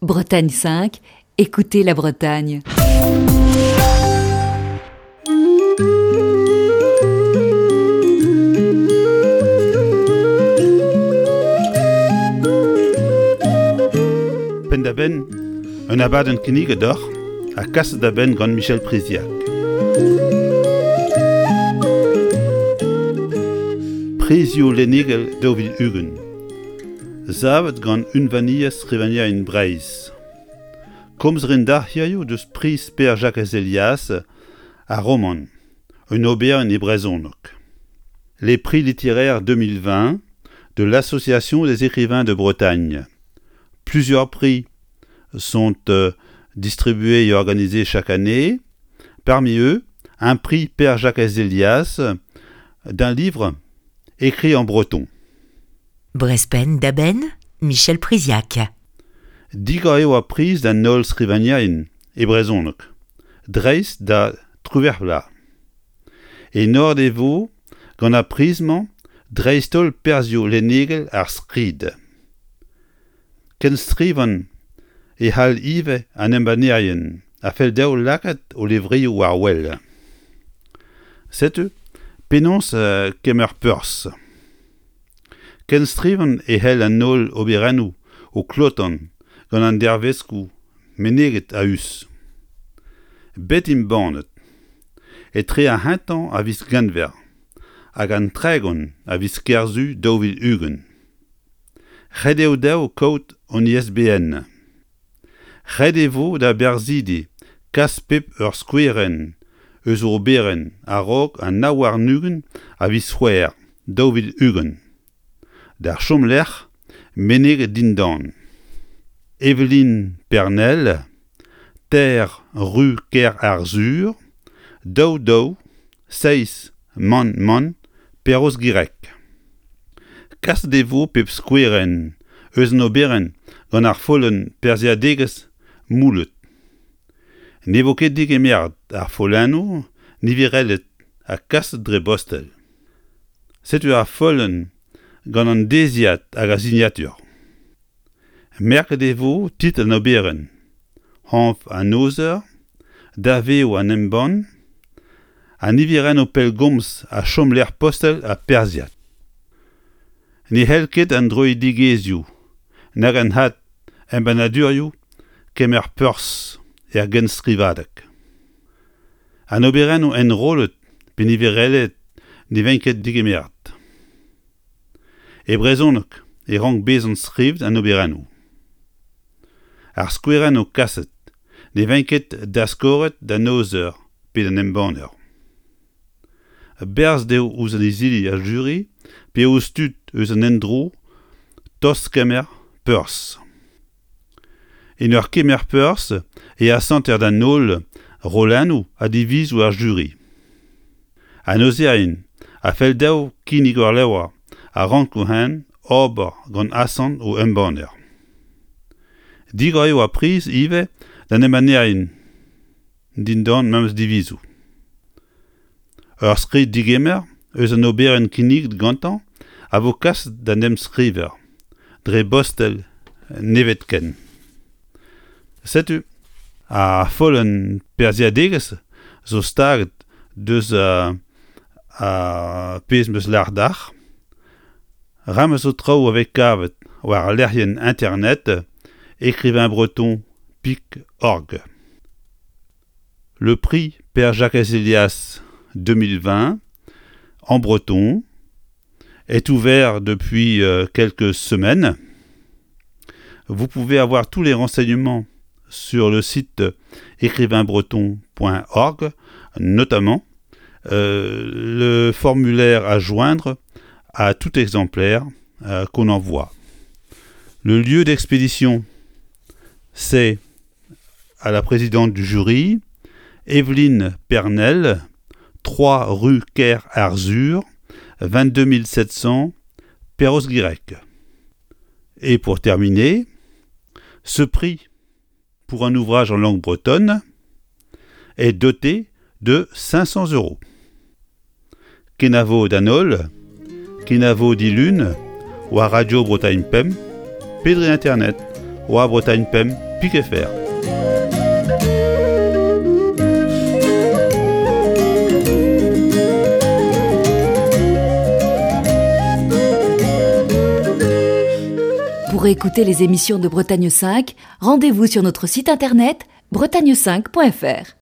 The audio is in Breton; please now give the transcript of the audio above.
Bretagne 5, écoutez la Bretagne. Penn-da-benn, un abadenn kinniget deoc'h ha kaset da benn gant Michel Priziac. Prizioù lennegel 2020. Savet gant Unvaniezh Skrivagnerien Breizh. Komz 'rin deoc'h hiziv deus priz Pêr-Jakez Helias ar romant, un oberenn e brezhoneg. Les prix littéraires 2020 de l'Association des écrivains de Bretagne. Plusieurs prix sont euh, distribués et organisés chaque année. Parmi eux, un prix Père Jacques Elias d'un livre écrit en breton. Brespen da-benn, Michel Priziac. Digor eo ar priz d'an holl skrivagnerien e brezhoneg, dreist da triwec'h vloaz. Enoret e vo gant ar priz-mañ dreist-holl perzhioù lennegel ar skrid. Kenstrivan e c'hall ivez an embannerien a fell dezho lakaat o levrioù war wel. Setu penaos kemer perzh. Kenstrivan e c'hell an holl oberennoù o klotan gant an dervezkoù meneget a-us. Bet embannet etre ar c'hentañ a viz Genver hag an 30 a viz Kerzu 2020. Ret eo dezho kaout an ISBN. Ret e vo da berzhidi kas pep ur skouerenn eus o oberenn a-raok an 29 a viz C'hwevrer 2020 d'ar chomlec'h meneget dindan. Evelyne Pernel, Ter Ru Ker-Arzhur, daou daou seizh mann mann Perroz-Gireg. Kaset e vo pep skouerenn eus an oberenn gant ar follenn perzhiadegezh moullet. Ne vo ket degemeret ar follennoù niverelet ha kaset dre bostel. Setu ar follenn gant an deziad hag ar sinatur. Merket e vo titl an oberenn, anv an aozer, daveoù an embann, an niverennoù pellgomz ha chomlec'h postel ha perzhiad. Ne c'hell ket an droidigezhioù nag an had embannadurioù kemer perzh er genstrivadeg. An oberennoù enrollet pe niverelaet ne vent ket degemeret. E brezhoneg e rank bezañ skrivet an oberennoù. Ar skouerennoù kaset ne vent ket daskoret d'an aozer pe d'an embanner. Berzh dezho ouzh an izili ar juri pe ouzh tud eus an endro tost kemer perzh. En ur kemer perzh e asanter d'an holl rollennoù ha divizoù ar juri. An aozerien a fell dezho kinnig ur levr a ranko hen ober gant asant o embanner. Digor eo ar priz ivez d'an embannerien dindan memes divizoù. Ur skrid-degemer eus an oberenn kinniget gantañ a vo kaset d'an emskriver dre bostel nevetken. Setu ar follenn perzhiadegezh zo staget deus ar pezh 'm eus lâret deoc'h. Rame zo traoù a vez kavet war lec'hienn internet écrivainbreton.org. Le prix Père Jacques Elias 2020 en breton est ouvert depuis euh, quelques semaines. Vous pouvez avoir tous les renseignements sur le site écrivainbreton.org, notamment euh, le formulaire à joindre à tout exemplaire euh, qu'on envoie. Le lieu d'expédition, c'est à la présidente du jury, Evelyne Pernel, 3 rue Ker Arzur, 22 700 Perros-Guirec. Et pour terminer, ce prix pour un ouvrage en langue bretonne est doté de 500 euros. Kenavo d'an holl, kenavo dilun, war Radio Bretagne Pemp, pe dre internet, war bretagnepemp. Pik.fr. Pour écouter les émissions de Bretagne 5, rendez-vous sur notre site internet bretagne5.fr.